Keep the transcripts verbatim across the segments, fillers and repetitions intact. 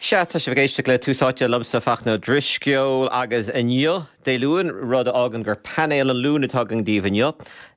Sea tá sibh ag éisteacht le Tús Áite liomsa Fachtna Ó Drisceoil agus inniu Dé Luain rud a fhágann gur painéal an Luain atá againn daoibh inniu.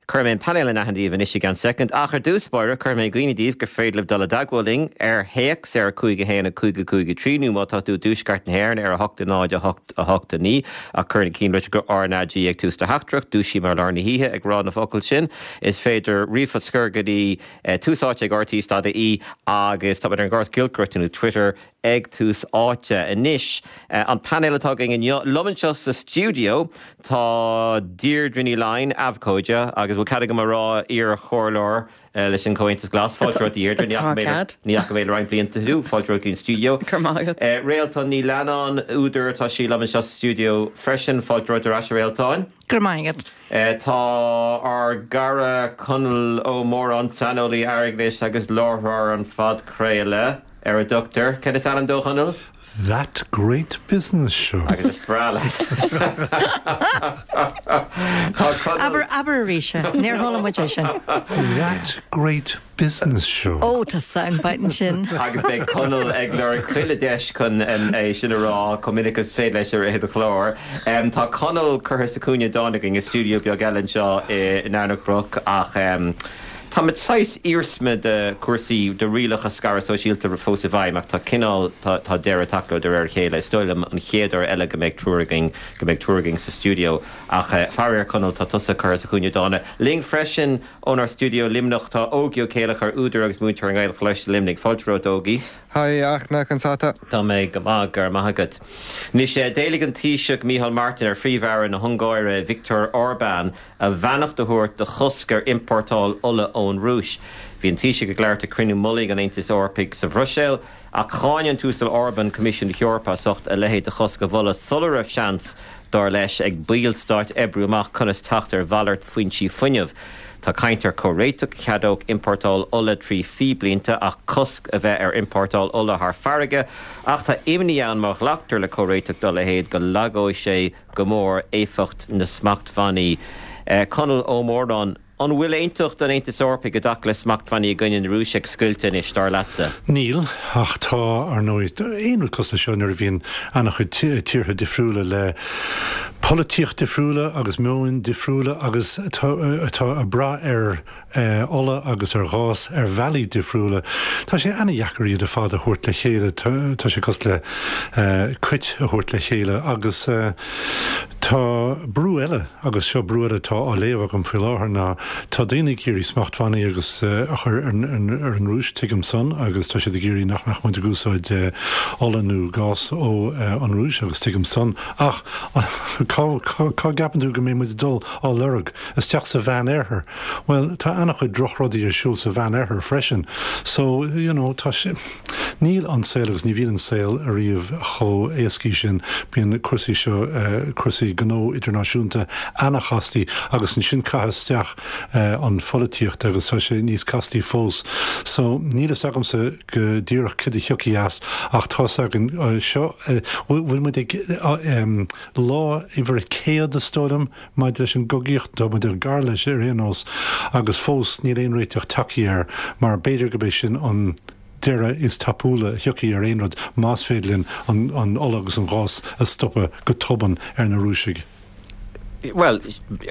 Cuirfidh mé an painéal in aithne daoibh anois i gceann soicind ach ar dtús báire cuirfidh mé i gcuimhne daoibh gur féidir libh dul i dteagmháil linn ar théacs ar a cúig a haon a cúig a cúig a trí nó má tá tú i dtuaisceart na hÉireann ar a hocht a náid a hocht a hocht a naoi ach cuir na ceannlitreacha RnaG ag tús do theachtaireacht dúisím ar lár na hoíche ag rá na focail sin is féidir ríomhphost a chur go dtí tús áite ag RTÉ dot ie agus tá ar an gcóras giolcaireachta nó Twitter ag tús áite anois an painéal atá againn inniu liom anseo sa stiúideo tá Deirdre Ní Laighin abhcóide agus bhfuil cead agam a rá iar-chomhairleoir leis an Comhaontas Glas fáilte romhat Deirdre ní fhaca mé le roinnt blianta thú fáilte romhat an stiúideo. Réaltán Ní Leannáin údar atá sí liom anseo sa stiúideo freisin fáilte romhat ar ais Réaltán. Go maith. Tá ár gcara Conall Ó Móráin saineolaí airgeadais agus láithreoir an phodchraoladh ar a dtugtar. Cad is ainm dó Chonaill? That Great Business Show. Agus is breá Aber aber arís níor chuala muid é sin. That Great Business Show. Ó tá soundbite sin. Agus beidh Conall ag lorg chuile deis chun é sin a rá chomh minic is féidir leis ar an chlár. Tá Conall curtha sa chúinne dána againn i stiúideo beag eile anseo i nDomhnach Broc ach um, Tá saghas iarsma de chúrsaí de rialacha scaradh sóisialta fós i bhfeidhm ach tá cineál tá deireadh tagtha de réir a chéile. Is dóigh liom an chéad uair eile go mbeidh triúr againn go mbeidh triúr againn sa stiúideo ach faraor Conall tá tusa curtha sa chúinne dána. Linn freisin ónár stiúideo Luimneach tá Ógie Ó Céileachair údar agus múinteoir i nGaelcholáiste Luimnigh fáilte romhat Ógie. Hi Fhachtna conas atá. Tá mé go maith go raibh maith agat. Anois d'éiligh an Taoiseach Micheál Martin ar Phríomh-Aire na hUngáire Viktor Orbán a bheannacht a thabhairt do chosc ar iompórtáil ola ón Rúis. Bhí an Taoiseach ag labhairt ag cruinniú mullaigh an Aontais Eorpaigh sa Bhruiséil ach cháin an tUasal Orban Coimisiún na hEorpa as ucht a leithéid de chosc a mholadh sula raibh seans dar leis ag ballstáit oibriú amach conas teacht ar mhalairt foinsí fuinnimh. Tá caint ar chomhréiteach cheadódh iompórtáil ola trí phíblínte ach cosc a bheith ar iompórtáil ola thar farraige, ach tá imní ann má ghlactar le comhréiteach dá leithéid go lagóidh sé go mór éifeacht na smachtbhannaí. Conall Ó Móráin, an bhfuil aontacht an Aontais Eorpaigh i dtaca le smachtbhannaí i gcoinne na Rúise ag scoilteadh anois dar leatsa? Níl ach tá ar ndóigh aon rud cosúil seo nuair a bhíonn an-chuid tíortha difriúla le polaitíocht difriúla agus meoin difriúla agus atá ag brath ar ola agus ar ghás ar bhealaí difriúla. Tá sé an-deacair iad ar fad a thabhairt le chéile tá sé cosúil le cait a thabhairt le chéile agus tá brú eile agus seo brú eile atá á léamh agam faoi láthair ná tá daoine ag iarraidh smachtbhannaí agus a chur ar an Rúis tuigim san agus tá siad ag iarraidh nach mbeadh muid ag úsáid ola nó gás ó an Rúis agus tuigim san ach cá gceapann tú go mbeidh muid dul á lorg isteach sa Mheánoirthear. Well tá an-chuid drochrudaí ar siúl sa Mheánoirthear freisin. So you know, tá sé níl an saol agus ní bhíonn an saol ariamh chomh héasca sin bíonn cúrsaí seo uh, cúrsaí gnó idirnáisiúnta an-chasta agus ansin caith isteach uh, an pholaitíocht agus tá sé níos castaí fós. So níl a fhios agamsa go díreach cad a thiocfaidh as ach tá againn uh, seo bhfuil muid ag um, lá uimhir céad is dóigh liom maidir leis an gcogaíocht tá muid ar gar leis ar aon nós agus fós níl aon réiteach tagtha air mar b'fhéidir go bé sin an deireadh is tapúla a thiocfaidh ar aon rud más féidir linn an, an ola agus an gás a stopadh go tobann ar na Rúisigh. Well,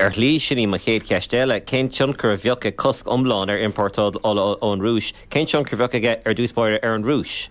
ar shlí sin í mo chéad cheist eile, cén tionchar a bheadh ag cosc iomlán ar iompórtáil ola ón Rúis, cén tionchar a bheadh aige ar dtús báire ar an Rúis?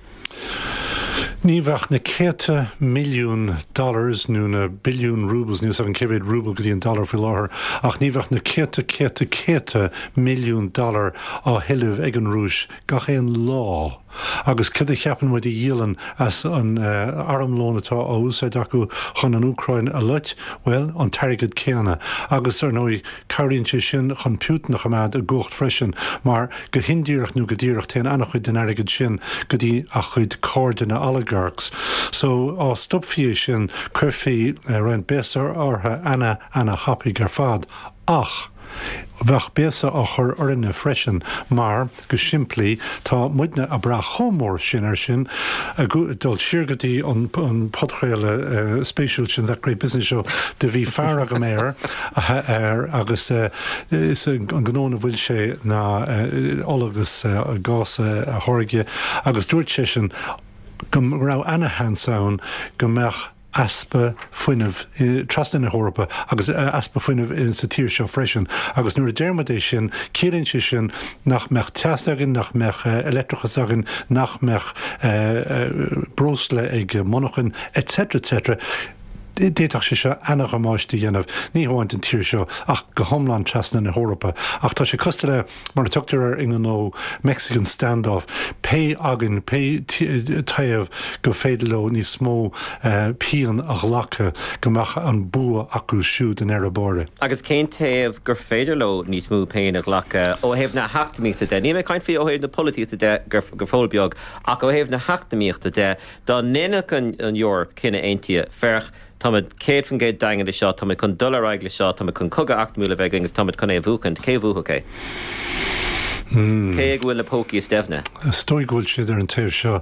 Ní bheadh na céadta milliún dollars nó na billiún rubles níos an céad rubal go dtí an dollar faoi láthair ach ní bheadh na céadta céadta céadta milliún dollar á thuilleamh ag an Rúis gach aon lá. Agus cad a cheapann muid a dhíolann as an uh, armlón atá á úsáid acu chun an Úcráin a loit, well an t-airgead céanna. Agus ar ndóigh cabhraíonn sé sin chun Putin a choimeád i gcumhacht freisin, mar go hindíreach nó go díreach téann an-chuid den airgead sin go dtí a chuid cairde na oligarchs. So á stopfaí sin chuirfí uh, roinnt béasa orthu ana ana thapaidh ar fad. Ach bheadh béasa á chur orainne freisin mar go simplí tá muidne ag brath chomh mór sin ar sin dul siar go dtí an, an podchraoladh uh, spéisiúil sin That Great Business Show de bhí fear agam air ar agus uh, is an gnó a bhfuil sé ná uh, ola agus uh, gás uh, a tháirgeadh agus dúirt sé sin go raibh ana-sheans ann go mbeadh easpa fuinnimh trasna na hEorpa agus easpa fuinnimh sa tír seo freisin. Agus nuair a deir muid é sin, ciallaíonn sé sin nach mbeadh teas againn, nach mbeadh leictreachas againn, nach mbeadh breosla ag monarchain, et cetera et cetera. D'fhéadfadh sé seo an-damáiste a dhéanamh, ní hamháin don tír seo ach go hiomlán trasna na hEorpa. Ach tá sé cosúil le, mar a tugtar air i ngnó, Mexican standoff, pé againn, pé taobh go féidir leo níos mó pian a ghlacadh, go mbeadh an bua acu siúd in ar a bóre. Agus cén taobh gur féidir leo níos mó péin a ghlacadh ó thaobh na heacnamaíochta de? Ní mé caint faoi ó thaobh na polaitíochta de go fóill beag, ach ó thaobh na heacnamaíochta de, dá ndéanfadh an, an Eoraip cinneadh aontaithe, féach, táimid céad faoin gcéad daingean le seo, táimid chun dul ar aghaidh le seo, táimid chun cogadh eacnamaíoch a bheith againn agus táimid chun é a bhuachan. Cé bhuafadh é? Hmm. Cé go bhfuil na pócaí is doimhne? Is dóigh go bhfuil siad ar an taobh seo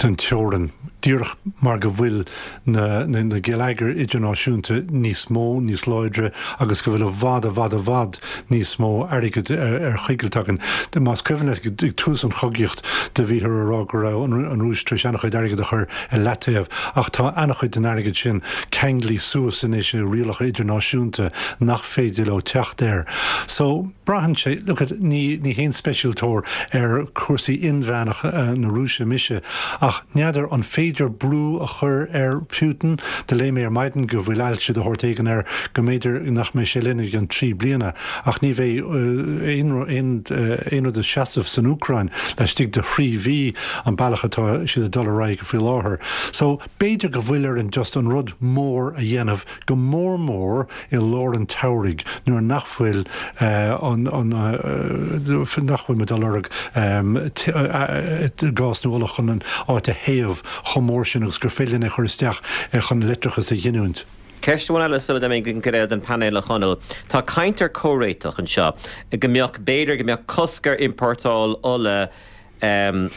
den teorainn, díreach mar go bhfuil na, na, na geilleagair idirnáisiúnta níos mó, níos láidre agus go bhfuil i bhfad i bhfad i bhfad níos mó airgead ar, ar choigilt againn. Más cuimhin ag tús an chogaíocht do bhíothar a rá go raibh an, an Rúis tar éis an-chuid airgead a chur i leataobh, ach tá an-chuid den airgead sin ceangailte suas anois i rialacha idirnáisiúnta nach féidir leo teacht air. So braitheann sé, look at, ní, ní haon speisialtóir ar chúrsaí inmheánacha uh, na Rúise mise, ach n'fheadar an féidir brú a chur ar Putin. Do léigh mé ar maidin go bhfuil ailse de shórt éigin air, go mb'fhéidir nach mbeidh sé linn an trí bliana, ach ní bheidh aon aon rud ina sheasamh san Úcráin laistigh de thrí mhí an bealach atá siad ag dul ar aghaidh faoi láthair. So b'fhéidir go bhfuil ar an just an rud mór a dhéanamh, go mór mór i lár an tsamhraidh nuair nach bhfuil uh, an, an, uh, nach bhfuil muid ag lorg um, gás nó ola chun an áit a théamh chomh mór sin agus gur féidir é chur isteach chun leictreachas a ghiniúint. Ceist eile sula mé go réad an panel a Chonaill. Tá caint ar chomhréiteach anseo go mbeadh, b'fhéidir go mbeadh cosc ar iompórtáil ola um,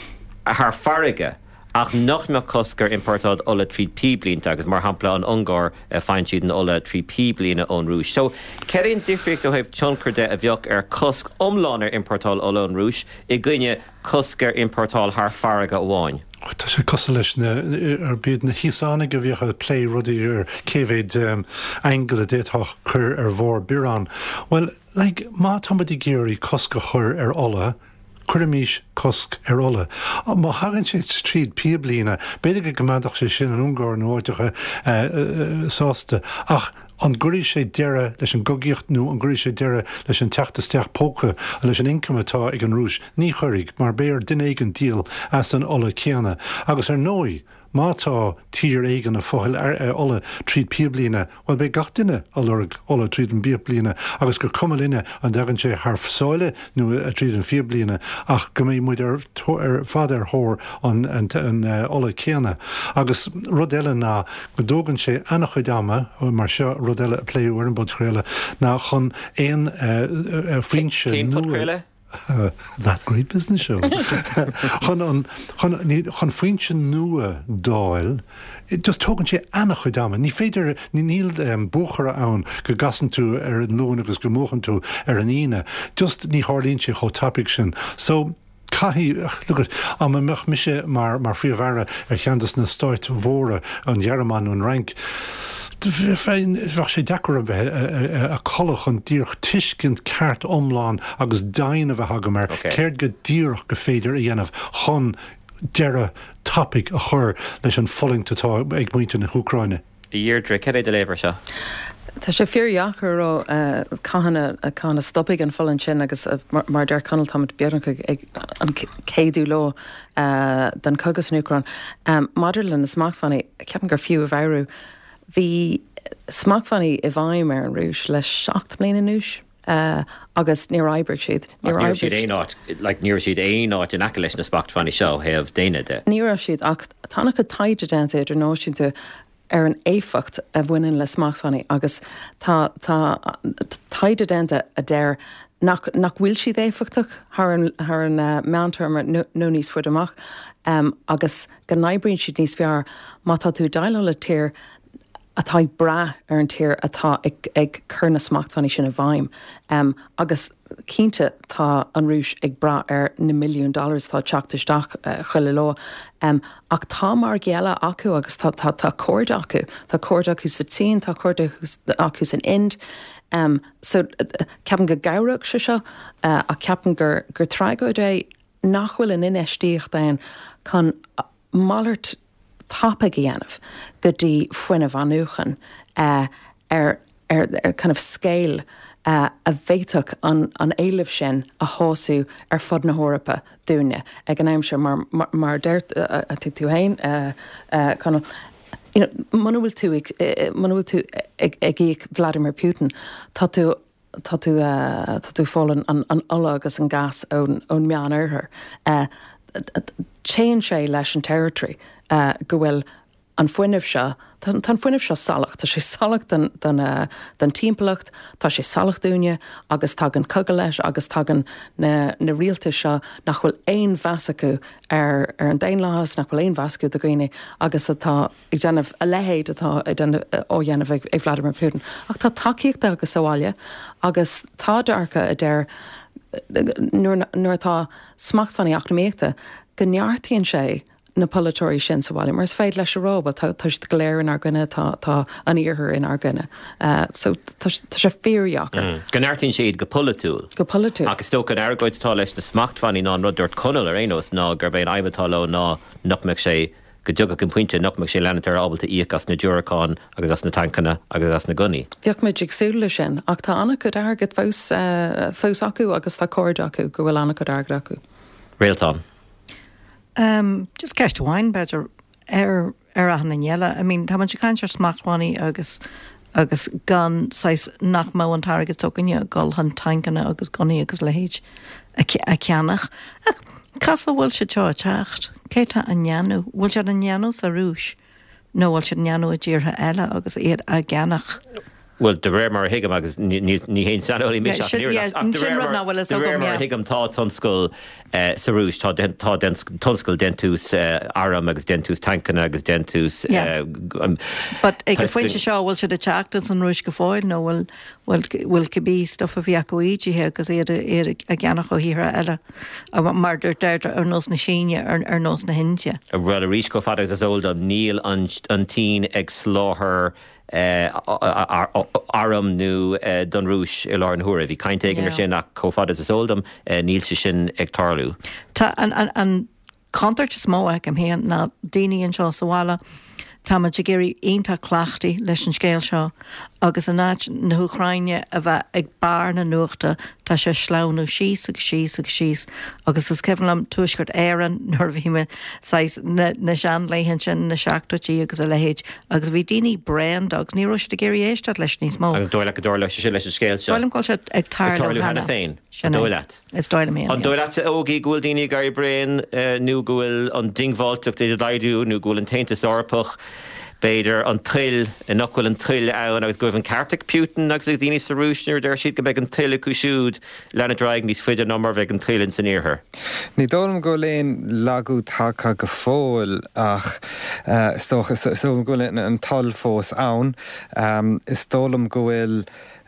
thar farraige, ach nach mbeadh cosc ar iompórtáil ola trí píblínte, agus mar shampla an Ungáir, faigheann siad an ola trí píblíne ón Rúis. So cén an difríocht ó thaobh tionchar de a bheadh ar cosc iomlán ar iompórtáil ola ón Rúis i gcoinne cosc ar iompórtáil thar farraige amháin? Tá sé cosúil leis na ar bíd na hÍosánaigh a bhíodh ag plé rudaí ar cé mhéad um, aingeal a d'fhéadfá cur ar bharr biorán. Well, like, má tá muid ag iarraidh cosc a chur ar ola, cuirimis cosc ar ola. Má thagann sé tríd píblíne, b'fhéidir go mbeadh sé sin an Ungáir nó áiteacha uh, uh, sásta, ach an gcuirfidh sé deireadh leis an gcogaíocht nó an gcuirfidh sé deireadh leis an teacht isteach póca leis an income atá ag an Rúis? Ní chuirfidh, mar beidh ar duine éigin díol as an ola céanna. Agus ar ndóigh, má tá tír éigin ag fáil ola tríd píblíne, well, beidh gach duine ag lorg ola tríd an bpíblíne agus gur cuma linne an dtagann sé thar sáile nó tríd an phíblíne, ach go mbeidh muid ar, ar fad ar thóir an, an, an uh, ola céanna. Agus rud eile ná go dtógann sé an-chuid ama, mar seo rud eile a pléadh ar an bpodchraoladh, ná chun aon uh, uh, foinse nua. That Great Business Show. chun an chun, chun foinse nua d'fháil, just tógann sé an-chuid ama. Ní féidir, níl um, buachaire ann go gcasann tú ar an Luan agus go mbuachann tú ar an Aoine. Just ní tharlaíonn sé chomh tapaidh sin. So caithfidh am mbeadh mise mar mar phríomh-aire ar cheann de na stáit mhóra, an Ghearmáin nó an Fhrainc, bheadh sé deacair a bheith ag codladh chun díreach tuiscint ceart iomlán agus dain a bheith agam ar céard go díreach gur féidir a dhéanamh chun deireadh tapaidh a chur leis an fulaingt atá ag muintir na hÚcráine. Deirdre, cad é do léamh air seo? Tá sé fíordheacair ó cathain cathain a stopfaidh an fulaingt sin agus mar deir Conall, táimid beagnach ag an céadú lá den chogadh san Úcráin. Maidir le na smachtbhannaí, ceapaim gur fiú a mheabhrú, bhí smachtbhannaí i bhfeidhm ar an Rúis le seacht mbliana anuas. Uh, agus níor oibrigh siad. Ní siad aon áit, like, ní siad aon áit in aice leis na smachtbhannaí seo thaobh déine de. Ní raibh siad, ach tá an-chuid taighde déanta idirnáisiúnta ar an éifeacht a bhaineann le smachtbhannaí agus tá tá taighde déanta a deir nach nach bhfuil siad éifeachtach thar an thar an uh, meántéarma nó níos faide amach um, agus go n-oibríonn siad níos fearr má tá tú déileáil le tír atá ag brath ar an tír atá ag, ag cur na smachtbhannaí sin i bhfeidhm. Um, agus cinnte tá an Rúis ag brath ar na milliún dollars atá teacht isteach uh, chuile lá. Um, ach tá margaí eile acu agus tá, tá, tá cairde acu. Tá cairde acu sa tSín, tá cairde acu san Ind. Um, so ceapaim go gcabhródh sé seo uh, ach ceapaim gur, gur tragóid é nach bhfuil an infheistíocht ann chun malairt tapaidh a dhéanamh go dtí fuinneamh athnuachan uh, ar, ar, ar kind of scale uh, a bhféadfadh an, an éileamh sin a shásamh ar fud na hEorpa dúinne ag an am seo mar, mar, mar deir uh, uh, tú féin uh, uh, Conall, you know, muna bhfuil tú ag, muna bhfuil tú ag, ag íoc Vladimir Putin, tá tú tá tú uh, tá tú fáil an, an ola agus an gas ón, ón Meánoirthear. Uh, Téann sé leis an territory uh, go bhfuil an fuinneamh seo, Tá an fuinneamh seo salach, Tá sé salach den, den, uh, den timpeallacht, tá sé salach dúinne agus tagann cogadh leis agus tagann na, na rialtais seo nach bhfuil aon mheas acu ar, ar an daonlathas, nach bhfuil aon mheas acu do dhaoine agus atá ag déanamh a leithéid atá ag á dhéanamh ag, ag Vladimir Putin. Ach tá tacaíocht acu sa bhaile agus tá dearcadh a deir nuair nuair atá smachtbhannaí eacnamaíochta go neartaíonn sé na polaiteoirí sin sa bhaile, mar is féidir leis a rá, tá tá siad go léir inár gcoinne tá tá an iarthar inár gcoinne. Uh, so tá sé fíordheacair. Mm. Go neartaíonn siad go polaitiúil. Go polaitiúil. Agus is dócha an argóint atá leis na smachtbhannaí ná an rud dúirt Conall ar aon nós ná gurb é an aidhm atá leo ná nach mbeadh sé go dtiocfadh an pointe nach mbeadh sé leanúint ábalta íoc as na diúracáin agus as na tancanna agus as na gunnaí. Bheadh muid ag súil leis sin, ach tá an-chuid airgid fós uh, fós acu agus tá cairde acu go bhfuil an-chuid airgid acu. Réaltán. Um, just ceist amháin b'fhéidir ar ar an eile. I mean, tá muid ag caint ar smachtbhannaí agus agus gan saghas nach mbeadh an t-airgead s'againne gul chun tancanna agus gunnaí agus leithéid a a cheannach. Ach Cá bhfuil sé seo ag teacht, Cé tá á ndéanamh, bhfuil sé á ndéanamh sa Rúis nó bhfuil sé á ndéanamh i dtíortha eile agus iad á gceannach. Well, de réir mar a thuigim agus ní haon saineolaí mise de réir mar a thuigim tá tionscal sa Rúis tá tá tionscal déantús arm agus déantús tancanna agus déantús. But ag an phointe seo bhfuil siad ag teacht as an Rúis go fóill nó bhfuil bhfuil cibé stuff a bhí acu ídithe agus iad á gceannach ó thíortha eile mar dúirt Deirdre ar nós na Síne ar ar nós na hIndia. Well arís chomh fada agus is eol dom níl an tSín ag soláthar arm nó don Rúis i láthair na huaire. Bhí caint éigin ar sin ach chomh fada is eol dom níl sé sin ag tarlú. Tá an an an contúirt is mó agam féin ná daoine anseo sa bhaile Tá muid ag éirí iontach cleachtaithe leis an scéal seo agus in áit na hÚcráine a bheith ag barr na nuachta tá sé sleamhnú síos agus síos agus síos agus is cuimhin liom Tuaisceart Éireann nuair a bhí mé saghas na na seanlaethanta sin na seachtóidí agus a leithéid agus bhí daoine bréan de agus ní raibh siad ag iarraidh éisteacht leis níos mó. Agus dóigh leat go dtarlóidh sé sin leis an scéal seo? Dóigh liom go bhfuil sé ag tarlú cheana féin. Sin é. Dóigh leat? Is dóigh liom féin, An dóigh leatsa Ógie go bhfuil daoine ag éirí bréan nó go bhfuil an diongbháilteacht ag laghdú nó go bhfuil an tAontas Eorpach b'fhéidir an toil, nach bhfuil an toil ann agus go bhfuil an ceart ag Putin agus ag daoine sa Rúis nuair a deir siad go mbeidh an toil acu siúd leanúint ar aghaidh níos faide ná mar a bheidh an toil ins an iarthar. Ní dóigh liom go bhfuil aon lagú tagtha go fóill ach is dócha, is dóigh liom go bhfuil an toil fós ann. Is dóigh liom go bhfuil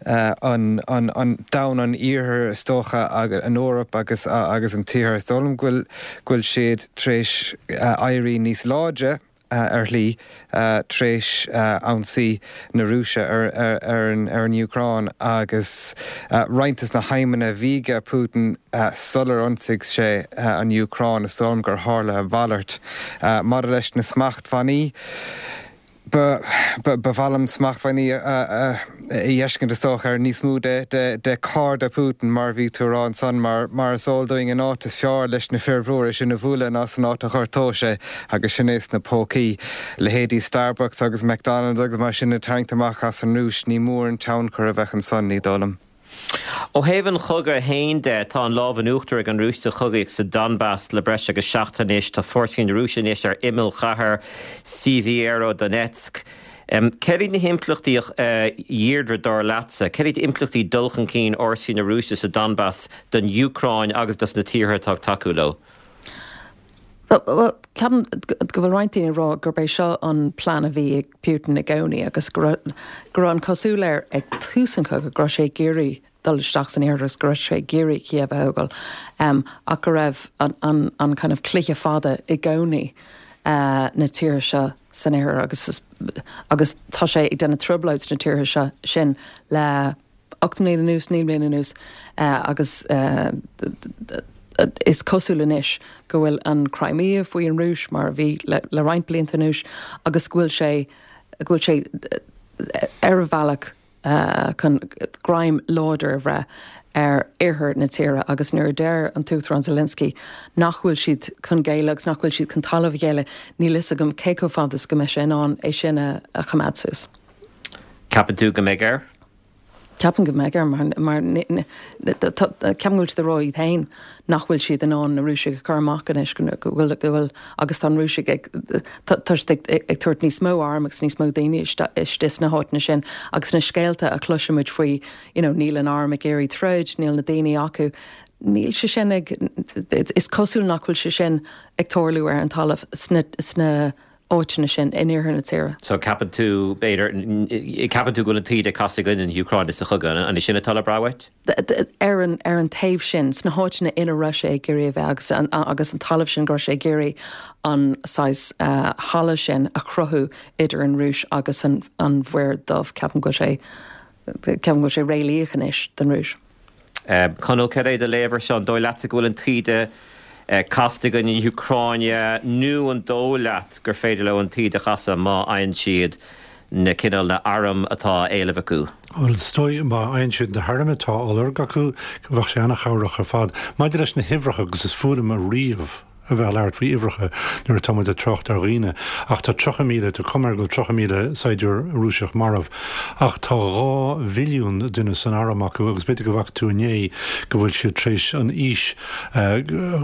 an an domhan an iarthair is dócha an Eoraip agus agus an t-iarthar, is dóigh liom go bhfuil go bhfuil siad tar éis éirí níos láidre ar shlí tar éis ionsaí na Rúise ar ar an ar an Úcráin agus roinnt des na haidhmeanna a bhí ag Putin sular ionsaigh sé an Úcráin, is dóigh liom gur tharla a mhalairt. Maidir leis na smachtbhannaí, Ba mhaith liom smachtbhannaí a fheiscint is dócha ar níos mó de chairde Putin mar a bhí tú a rá ansan mar mar is eol dúinn an áit is fearr leis na fir mhóra sin a bhualadh ná san áit a ghortódh sé agus sin é sna pócaí. Leithéidí Starbucks agus McDonald's agus mar sin a tarraingt amach as an Rúis ní mór an tionchar a bheadh ansan ní dóigh liom. Ó thaobh an chogaidh féin de, tá an lámh in uachtar ag an Rúis sa chogaíocht sa Donbas le breis agus seachtain anois. Tá fórsaí na Rúise anois ar imeall chathair Sievierodonetsk. Céard iad na himpleachtaí, a Dheirdre, dar leatsa? Céard iad impleachtaí dul chun cinn fhórsaí na Rúise sa Donbas don Úcráin agus dos na tíortha atá ag tacú leo? Well, ceapaim go bhfuil roinnt daoine ag rá gurb é seo an plean a bhí ag Putin i gcónaí agus go raibh go raibh an cosúil air ag tús an chogaidh go raibh sé ag iarraidh dul isteach san iarthar agus go raibh sé ag iarraidh Kiev a thógáil um, ach go raibh an, an, an kind of cluiche fada i gcónaí uh, na tíortha seo san iarthar agus agus tá sé ag déanamh trioblóid sna tíortha seo sin le ocht mbliana anuas, naoi mbliana anuas uh, agus uh, is cosúil anois go bhfuil an Crimea faoi an Rúis mar a bhí le, le roinnt blianta anuas agus go bhfuil sé go bhfuil sé ar a bhealach uh, chun greim láidir a bhreith ar oirthear na tíre agus nuair a deir an tUachtarán Zelensky nach bhfuil siad chun géilleadh agus nach bhfuil siad chun talamh a ghéilleadh níl fhios agam cé chomh fada is go mbeidh sé in ann é sin a, a choimeád suas. Ceapann tú go mbeidh air? Ceapaim go mbeidh air mar mar ceapaim go bhfuil siad ag rá iad féin nach bhfuil siad in ann na Rúisigh a chur amach anois go bhfuil go bhfuil agus tá an Rúisigh ag tá siad ag ag tabhairt níos mó arm agus níos mó daoine istigh sna háiteanna sin agus na scéalta a chloisimid faoi you know, níl an arm ag iarraidh troid, níl na daoine acu. Níl sé sin ag is cosúil nach bhfuil sé sin ag tarlú ar an talamh sna sna áiteanna sin in iarthar na tíre. So ceapann tú b'fhéidir ceapann tú go bhfuil an taoide casta i gcoinne na hÚcráine sa chogadh an sin atá le brath uait? Ar an ar an taobh sin sna háiteanna ina raibh sé ag iarraidh a bheith agus an, agus an talamh sin go raibh sé ag iarraidh an saghas uh, halla sin a chruthú idir an Rúis agus an, an Mhuir Dhubh ceapaim go bhfuil sé ceapaim go bhfuil sé réalaíoch anois don Rúis. Um, Conall cad é do léamh air seo an dóigh leatsa go bhfuil an taoide casta i gcoinne na hÚcráine nó an dóigh leat gur féidir leo an taoide a chasadh má fhaigheann siad na cineál na arm atá á éileamh acu. Bhuel, is dóigh má fhaigheann siad na hairm atá á lorg acu, bheadh sé an-chabhrach ar fad. Maidir leis na huimhreacha agus is fuath liom ariamh a bheith ag labhairt faoi uimhreacha nuair atá muid ag trácht ar dhaoine, ach tá tríocha míle, tá cuma air go bhfuil tríocha míle saighdiúir Rúiseach marbh, ach tá dhá mhilliún duine san arm acu agus b'fhéidir go bhfaca tú inné go bhfuil siad tar éis an aois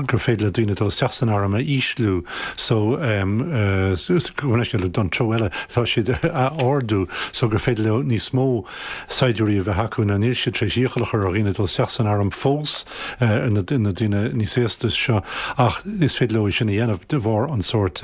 gur féidir le daoine dul isteach san arm a ísliú so don treo eile tá siad a ardú so gur féidir leo níos mó saighdiúirí a bheith acu ná níl siad tar éis iachall a chur ar dhaoine dul isteach san arm fós na daoine níos aosta seo ach is féidir leo é sin a dhéanamh de bharr an sórt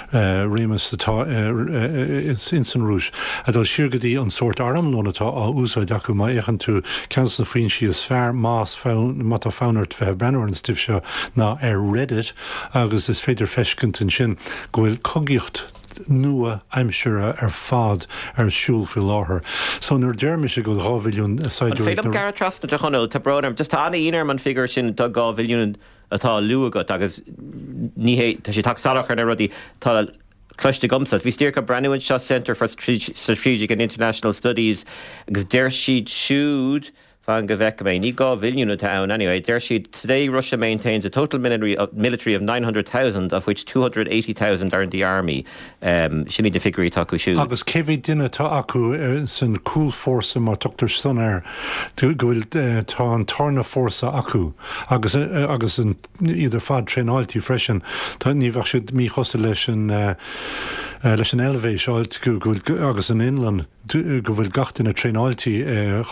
réimeas atá ins an Rúis. A dul siar go dtí an sórt armlón atá á úsáid acu má fhéachann tú ceann de na foinsí is fearr más má tá fonn ort bheith ag breathnú ar an stuif seo ná ar Reddit agus is féidir feiscint ansin go bhfuil cogaíocht nua aimsire ar fad ar siúl faoi láthair. So nuair a deir mise go bhfuil dhá mhilliún saighdiúirí. An féidir liom gearradh trasna a Chonaill, tá brón orm, just tá an-ionadh orm an figiúr sin do dhá mhilliún atá á lua agat agus ní hé, tá sé ag teacht salach ar na rudaí atá cloiste agamsa. Bhíos díreach ag breathnú anseo Centre for Strategic and International Studies agus deir siad siúd, fan go bhfeice mé, ní dhá mhilliún atá ann anyway, deir siad today Russia maintains a total military of, military of nine hundred thousand of which two hundred eighty thousand are in the army. Um, sin iad na figiúirí atá acu siúd. Agus cé mhéad duine atá acu san cúlfhórsa mar tugtar san air, go bhfuil tá an tarna fórsa acu agus agus an iad ar fad traenáilte freisin. Tá ní bheadh siad míchosúil leis an leis an Eilvéis áit go bhfuil agus an Fhionlainn go bhfuil gach duine traenáilte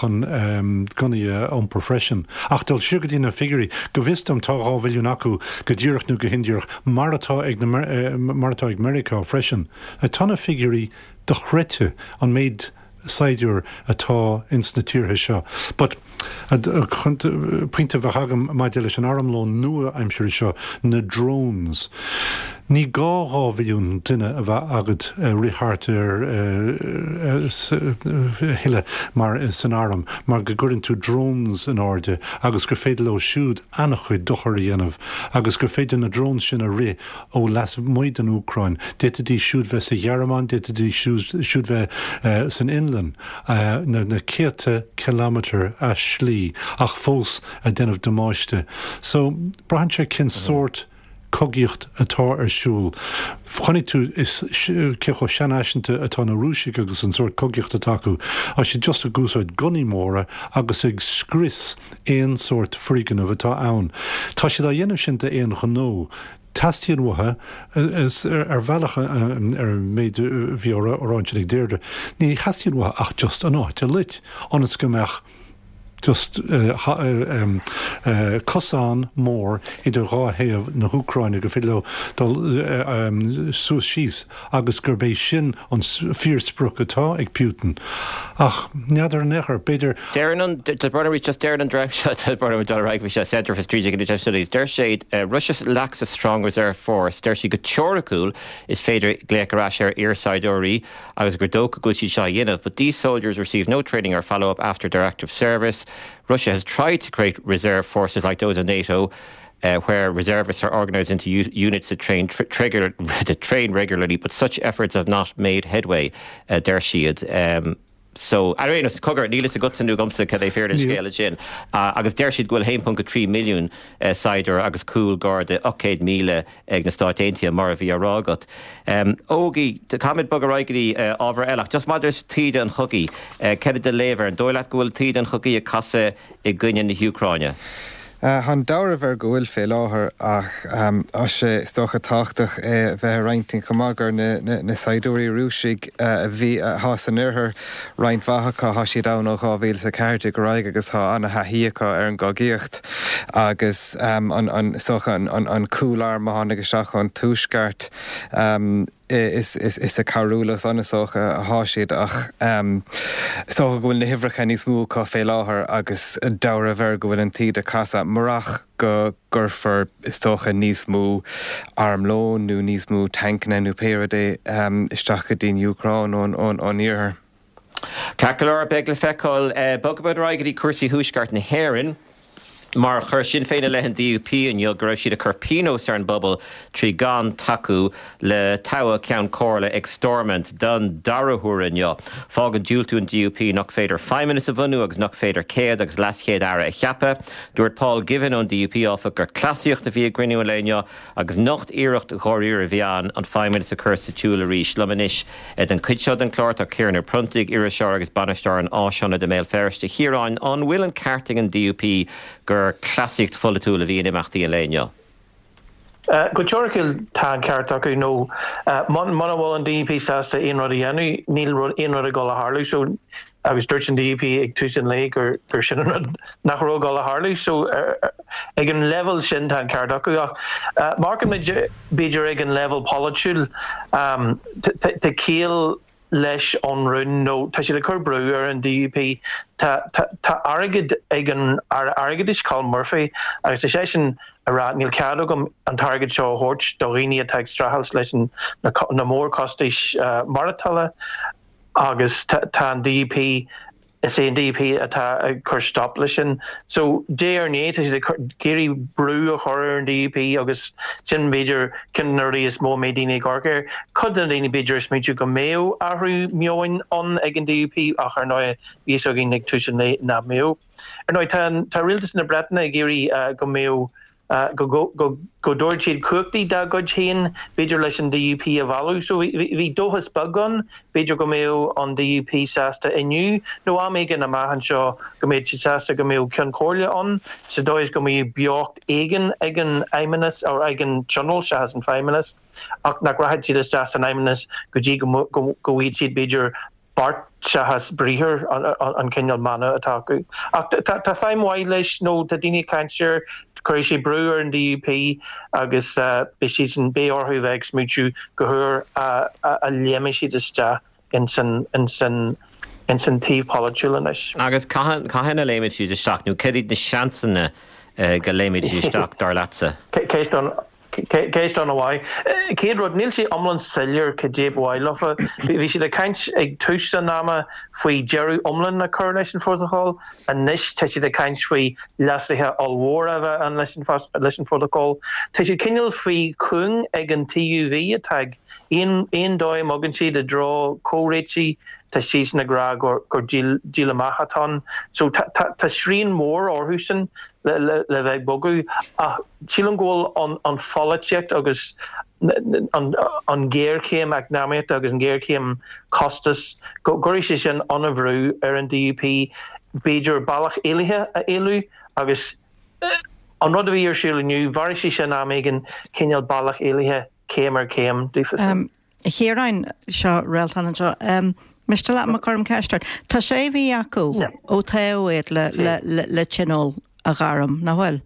chun gunnaí a iompar freisin. Ach dul siar go dtí na figiúirí, go bhfios dom tá dhá mhilliún acu go díreach nó go hindíreach mar atá ag na mar atá ag Meiriceá freisin. Tá na figiúirí dochreidte an méid saighdiúir atá ins na tíortha seo. But pointe a bheadh agam maidir leis an armlón nua-aimsire seo, na drones. Ní gá dhá mhilliún duine a bheith agat ag rith thart ar thuilleadh mar san arm mar go gcuireann tú drones in airde agus gur féidir leo siúd an-chuid dochar a dhéanamh agus gur féidir na drones sin a rith ó lasmuigh den Úcráin. D'fhéadfaidís siúd bheith sa Ghearmáin, d'fhéadfaidís siúd bheith san Fhionlainn, na céadta kilometre as slí ach fós ag déanamh damáiste. So braitheann sé cén sórt cogaíocht atá ar siúl. Chonaic tú cé chomh seanfhaiseanta atá na Rúisigh agus an sórt cogaíocht atá acu. Tá siad just ag úsáid gunnaí móra agus ag scrios aon sórt foirgneamh atá ann. Tá siad á dhéanamh sin d'aon ghnó. Teastaíonn uathu, ar bhealach ar an méid a bhí á rá ansin ag Deirdre, ní theastaíonn uathu ach just an áit a loit, ionas go mbeadh just cosán mór idir dhá thaobh na hÚcráine go féidir leo dul suas síos agus gurb é sin an fíorsprioc atá ag Putin. Ach n'fheadar an echar, b'fhéidir. Deireann an just deireann an dream seo bhí Centre for Strategic and International Studies, deir siad Russia lacks a strong reserve force, deir siad go teoiriciúil is féidir glaoch ar ais ar iarshaighdiúirí agus gur dócha go bhfuil siad seo dhéanamh, but these soldiers receive no training or follow-up after their active service. Russia has tried to create reserve forces like those in NATO, uh, where reservists are organised into units that train tr trigger, that train regularly, but such efforts have not made headway. Uh, deir siad. Um, so ar aon cogar níl a fhios agamsa cad é fíor an scéal sin uh, agus deir siad go bhfuil haon ponc a trí milliún uh, saighdiúir agus cúl garda ocht gcéad míle ag na Stáit Aontaithe mar a bhí á rá agat. Um, Ógie táimid bog ar aghaidh go dtí uh, ábhar eile, just maidir le taoide an chogaidh, uh, cad é do léamh air an dóigh leat go bhfuil taoide an chogaidh ag casadh i gcoinne na hÚcráine. Tá dealramh air go bhfuil fé láthair ach tá sé is dócha tábhachtach é bheith ag roinnt chomh maith gur na, na, na saighdiúirí Rúisigh a bhí atá san oirthear roinnt mhaith acu tá siad ann ó dhá mhíle a ceathair déag ar aghaidh agus tá an-thaithí acu ar an gcogaíocht agus um, an, an, socha an, an, an cúlarm a tháinig isteach ón tuaisceart um, is, is, is ag cabhrú leo san is dócha atá siad ach um, is dócha go bhfuil na huimhreacha níos mó acu fé láthair agus dealramh air go bhfuil an taoide ag casadh murach go gcuirfear is dócha níos mó armlón nó níos mó tancanna nó pé rud é um, isteach go dtí an Úcráin ón, ón, ón iarthar. Ceart go leor beidh le feiceáil bogfaimid ar aghaidh go dtí cúrsaí thuaisceart na hÉireann. Mar chuir Sinn Féin i leith an D U P inniu go raibh siad ag cur pionós ar an bpobal trí gan tacú le toghadh Ceann Comhairle ag Stormont don dara huair inniu. Fágann diúltú an D U P nach féidir feidhmeannas a bhunú agus nach féidir céad agus leaschéad aire a cheapadh. Dúirt Paul Givan ón D U P áfach gur cleasaíocht a bhí i gcruinniú an lae inniu agus nach iarracht dháiríre a bhí ann an feidhmeannas a chur sa tsiúl arís. Liom anois den chuid seo den chlár tá Ciarán Ó Pronntaigh, iriseoir agus bainisteoir an Áisaonaid i mBéal Feirste. Chiaráin, an bhfuil an ceart ag an D U P gur cleasaíocht pholaitiúil a bhí in imeachtaí an lae inniu? Uh, go teoiriciúil tá an ceart acu nó uh, muna bhfuil an D U P sásta aon rud a dhéanamh níl aon rud ag dul a tharlú so agus dúirt an D U P ag tús an lae gur gur sin an rud nach raibh ag dul a tharlú so uh, ag an level sin tá an ceart acu ach uh, mar b'fhéidir ag an level polaitiúil um, tá ciall leis an rún nó tá siad ag cur brú ar an D U P tá tá airgead ag an airgeadais Colm Murphy agus tá sé sin ag rá níl cead agam an t-airgead seo a thabhairt do dhaoine atá ag streachailt leis an na, na mórchostais uh, maireachtála agus tá an D U P is é an D U P atá ag cur stop leis sin. So dé ar né tá siad ag iarraidh brú a chur ar an D U P agus sin b'fhéidir ceann de na rudaí is mó mé daoine garcéir. Cud na daoine b'fhéidir is méidir go mbeadh athrú meoin an ag an D U P ach ar ndóigh bhí againn ag tús nach mbeadh. Ar ndóigh tá rialtas na Breataine ag iarraidh uh, go mbeadh Uh, go go go go dtabharfadh siad cumhachtaí dá gcuid féin b'fhéidir leis an D U P a mhealladh so bhí dóchas beag ann b'fhéidir go mbeadh an D U P sásta inniu nó am éigin amach anseo go mbeadh siad sásta go mbeadh ceann comhairle ann sa dóigh is go mbeadh beocht éigin ag an fheidhmeannas ó ag an tionól seachas an feidhmeannas ach nach rachaidh siad isteach san fheidhmeannas go dtí go go bhfaighidh siad b'fhéidir beart seachas briathar an cineál mana atá acu. Ach tá feidhm mhaith leis nó tá daoine ag caint air chuir sé brú ar an D U P agus uh, beidh siad san beidh orthu bheith ag smaointiú go huair a, a, a léimfidh siad isteach in san in san in san taobh polaitiúil anois. Agus cathain a léimfidh siad isteach nó cad iad na seansanna uh, go léimfidh siad isteach dar leatsa? Ceist an Ceist an-mhaith. Céad rud níl sé iomlán soiléir cad é ba mhaith leofa. Bhí siad ag caint ag tús an ama faoi deireadh iomlán a chur leis an phrótacal, anois tá siad ag caint faoi leasuithe ollmhóra a bheith ann leis an leis an phrótacal. Tá siad cineál faoi chúng ag an T U V atá aon aon dóigh a mbogann siad i dtreo comhréitigh tá siad ag rá gur gur díol amach atá ann. So tá srian mór orthu sin le, le, le bheith bogadh ach sílim go bhfuil an, an pholaitíocht agus an, an géarchéim eacnamaíochta agus an géarchéim costas go gcuirfidh sé sin an-bhrú ar an D U P b'fhéidir bealach éalaithe a éalú agus an rud a bhí ar siúl inniu mhairfidh sé sin am éigin cineál bealach éalaithe céim ar chéim daofa. Um, Chiaráin seo réaltán anseo. Um, Miste leat má chuirim ceist ort. Tá sé mhí acu ó toghadh iad le le le le tionól a ghairm, nach bhfuil?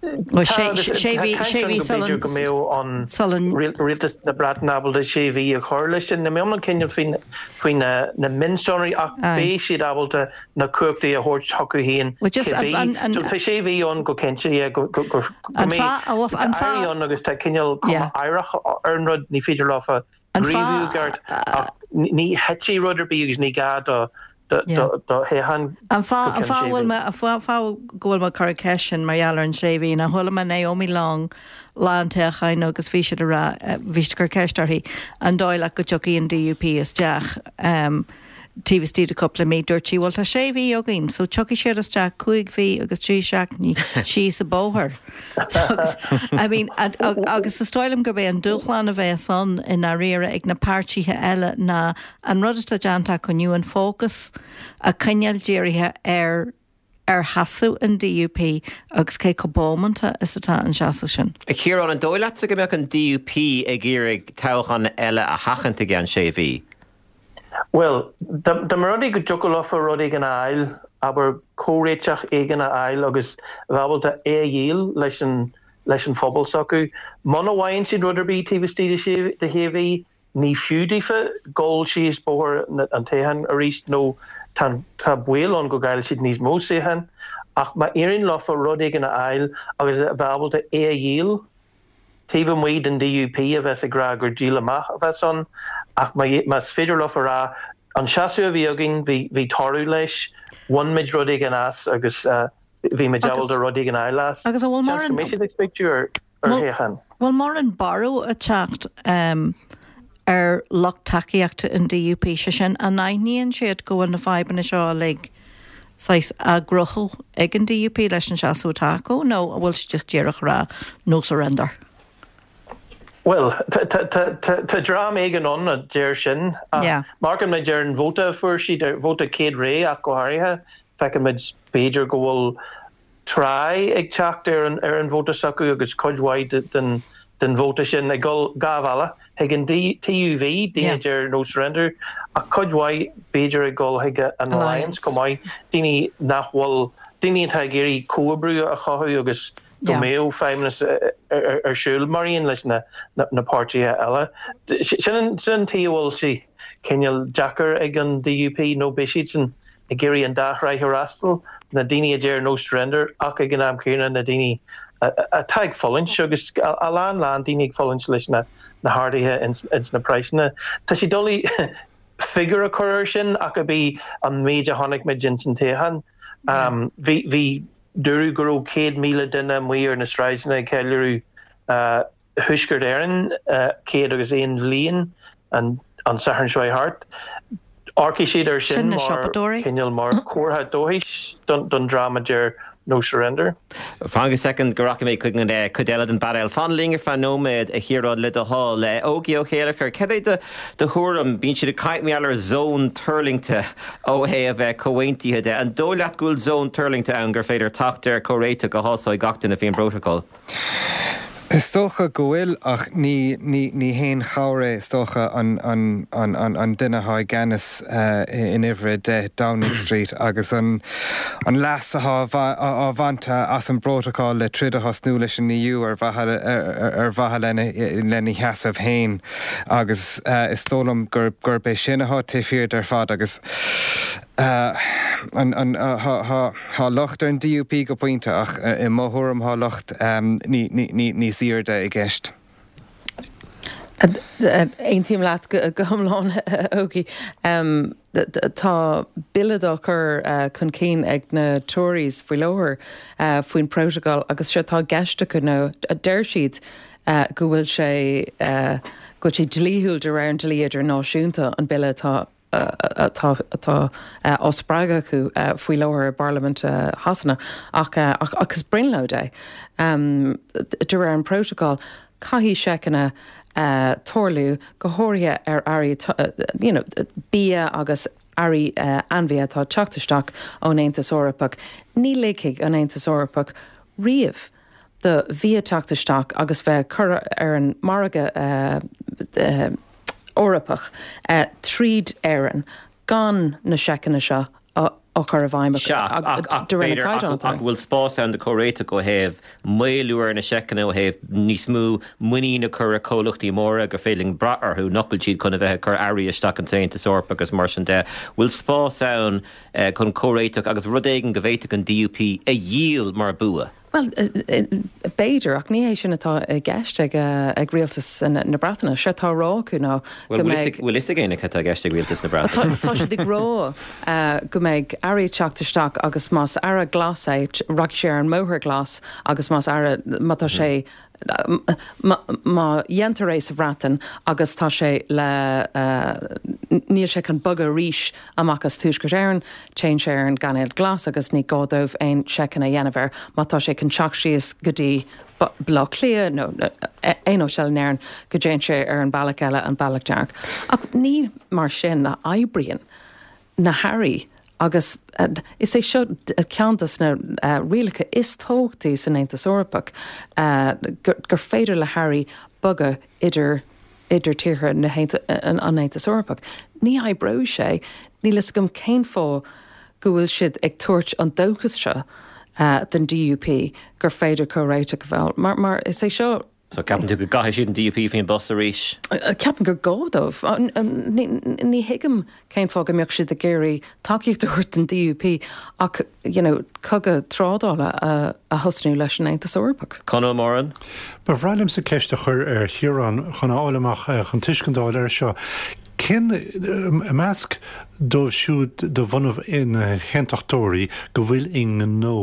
Ó sé sé mhí sé mhí sula go mbeadh an sula rialtas na Breataine ábalta sé mhí a chur leis sin. Níl mé iomlán cinnte faoin faoi na na mionsonraí ach beidh siad ábalta na cumhachtaí a thabhairt chucu féin Well just cibé. an an So tá sé mhí ann go cinnte yeah go go go go An mbeidh fáth a bhfuil an tá fáth airí ann agus tá cineál cuma Yeah. aireach ar an rud ní féidir leofa An gníomhú fáth ceart ach ní thitfidh rud ar bith agus ní gá do do Yeah. do do thoghchán An go fáth an ceann fáth sé bhfuil mhí. mé an fáth fáth go bhfuil mé ag cur an cheist sin mar gheall ar an sé mhí ná chuala mé Naomi Long lá an toghcháin agus bhí siad ag rá eh, bhí siad ag cur ceist uirthi an dóigh leat go dtiocfaidh an DUP isteach um, taobh istigh de cúpla mí dúirt sí bhuel tá sé mhí againn, so tiocfaidh siad isteach cúig mhí agus trí seachtainí síos an bóthar. Agus, I mean, and, agus is dóigh liom gurb é an dúshlán a bheas ann i ndáiríre ag na páirtithe eile ná an rud atá déanta acu inniu an fócas a choinneáil dírithe ar ar sheasamh an DUP agus cé chomh bómanta is atá an seasamh sin. A Chiaráin an dóigh leatsa go mbeadh an DUP ag iarraidh toghchán eile a sheachaint i gceann sé mhí. Well, dá mba rud é go dtiocfadh leofa rud éigin a fháil, abair comhréiteach éigin a fháil agus bheith ábalta é a dhíol leis an leis an phobal s'acu. Muna bhfaigheann siad rud ar bith taobh istigh de sé de shé mhí, ní fiú daofa dul síos bóthar an toghcháin arís nó tá tá baol ann go gcaillfidh siad níos mó suíochán, ach má éiríonn leofa rud éigin a fháil agus a bheith ábalta é a dhíol, taobh amuigh den DUP a bheas ag rá gur díol amach a bheas ann, ach más féidir leofa rá an seasamh a bhí againn bhí bhí toradh leis, bhain muid rud éigin as agus uh, bhí muid ábalta rud éigin a fháil as. Agus an bhfuil Seans go mbeidh siad ag smaoitiú ar ar thoghchán. Bhfuil mórán borradh ag teacht um, ar lucht tacaíochta an DUP sé sin an aithníonn siad go bhfuil na fadhbanna seo uilig saghas á gcruthú ag an DUP leis an seasamh atá acu nó an bhfuil siad just díreach rá no surrender. Well, tá dream éigin ann a deir sin. Yeah. Amharcann muid ar an vóta a fuair siad ar vóta céad ré ach go háirithe, feiceann muid b'fhéidir go bhfuil tráth ag teacht ar an ar an vóta s'acu agus cuid mhaith den den vóta sin ag dul dhá bhealach chuig an TUV daoine deir no surrender ach cuid mhaith b'fhéidir ag dul chuig an Alliance chomh maith daoine nach bhfuil daoine atá ag iarraidh comhoibriú a chothú agus go mbeadh feidhmeannas ar siúl mar aon leis na na páirtithe eile. Sin sin tí bhfuil sé cineál deacair ag an DUP nó beidh siad sin ag iarraidh an dá thrá a fhreastal na daoine a deir no surrender ach ag an am céanna na daoine atá ag fulaingt agus a lán lán daoine ag fulaingt leis na na harduithe ins, ins na praghsanna. Tá sé doiligh figiúr a chur air sin ach a bhí an méid a chonaic muid ins an toghchán. Um, bhí bhí dúradh go raibh céad míle duine amuigh ar na sráideanna ag ceiliúradh uh, Thuaisceart Éireann uh, céad agus aon bhliain an an Satharn seo thart. Amharcfaidh siad ar sin Sin na mar siopadóirí? cineál mar chomhartha dóchais don, don dream a deir no surrender. Fan go soicind go rachaidh mé chuig an eh, cuid eile den bpainéal. Fan linn ar feadh nóiméad a Chiaráin le do thoil le Ógie Ó Céilleachair. Cad é do do thuairim bíonn siad ag caint mar ar zón tuirlingte ó thaobh bheith comhaontaithe de. An dóigh leat go bhfuil zón tuirlingte ann gur féidir teacht ar chomhréiteach a shásóidh gach duine faoin bprótacal. Is dócha go bhfuil ach ní ní ní haon chabhair é is dócha an, an, an, an, an duine atá i gceannas uh, in uimhir a deich Downing Street agus an, an leas atá á bhaint as an bprótacal le troid a thosnú leis an EU ar mhaithe ar, ar mhaithe lena, lena sheasamh féin agus uh, is dóigh liom gur gurb é sin atá taobh thiar ar fad agus uh, an, an, uh, ha, ha, ha locht ar an DUP go pointe ach uh, i mo thuairim tá locht um, ní, ní, ní, níos airde i gceist. Aontaím leat go go hiomlán Ógie. Um, tá bille á chur uh, chun cinn ag na Tories faoi láthair uh, faoin protocol agus sé tá gceist acu nó a deir siad uh, go bhfuil sé uh, go bhfuil sé dlíthiúil de réir an dlí idirnáisiúnta an bille atá atá atá á spreagadh acu faoi láthair i bParlaimint Shasana ach ach agus brionglóid é. Um, de réir an protocol caithfidh seiceanna uh, tarlú go háirithe ar earraí uh, you know, bia agus earraí uh, ainmhí atá teacht isteach ón Aontas Eorpach. Ní ligfidh an Aontas Eorpach riamh do bhia teacht isteach agus bheith curtha ar an margadh uh, uh, Eorpach tríd Éirinn gan na seiceanna seo á chur i bhfeidhm de réir na gcaighdeán. Ach bhfuil spás ann do chomhréiteach ó thaobh maolú ar na seiceanna ó thaobh níos mó muinín a chur i comhlachtaí móra gur féidir linn brath orthu nach bhfuil siad chun a bheith ag cur earraí isteach an tAontas Eorpach agus mar sin de. Bhfuil spás ann chun comhréiteach agus rud éigin go bhféadfadh an DUP a dhíol mar bua? Bhuel, b'fhéidir, ach ní hé sin atá i gceist ag ag rialtas na Breataine. Sé atá á rá acu ná go mbeidh. Bhfuil fhios ag éinne cad atá i gceist ag rialtas na Breataine? Tá siad ag rá go mbeidh earraí ag teacht isteach agus más earra glas é, rachaidh sé ar an mbóthar glas agus más earra, má tá sé, má dhéantar é sa Bhreatain agus tá sé le, níl sé chun bogadh arís amach as Tuaisceart Éireann, téann sé ar an gcainéal glas agus ní gá dóibh aon seiceanna a dhéanamh air. Má tá sé chun teacht síos go dtí Baile Átha Cliath nó aon áit eile in Éirinn, go dtéann sé ar an bealach eile, an bealach dearg. Ach ní mar sin a oibríonn na hearraí Agus is é seo ceann de na rialacha is tábhachtaí san Aontas Eorpach, gur féidir le hearraí bogadh idir idir tíortha an Aontais Eorpaigh. Ní oibreoidh sé, níl fhios agam cén fáth go bhfuil siad ag tabhairt an dóchas seo don DUP gur féidir comhréiteach a bheith, mar is é seo So ceapann tú go gcaithfidh siad an DUP faoin bpus arís? Ceapaim gur gá dóibh. Ní thuigim cén fáth go mbeadh siad ag iarraidh tacaíocht a thabhairt don DUP ach you know cogadh trádála a thosnú leis an Aontas Eorpach. Conall Moran. Ba bhreá liomsa ceist a chur ar Chiarán chun a fháil amach, chun tuiscint a fháil air seo. Cén, i measc dóibh siúd de bhunadh na hAontachtóirí go bhfuil i ngnó,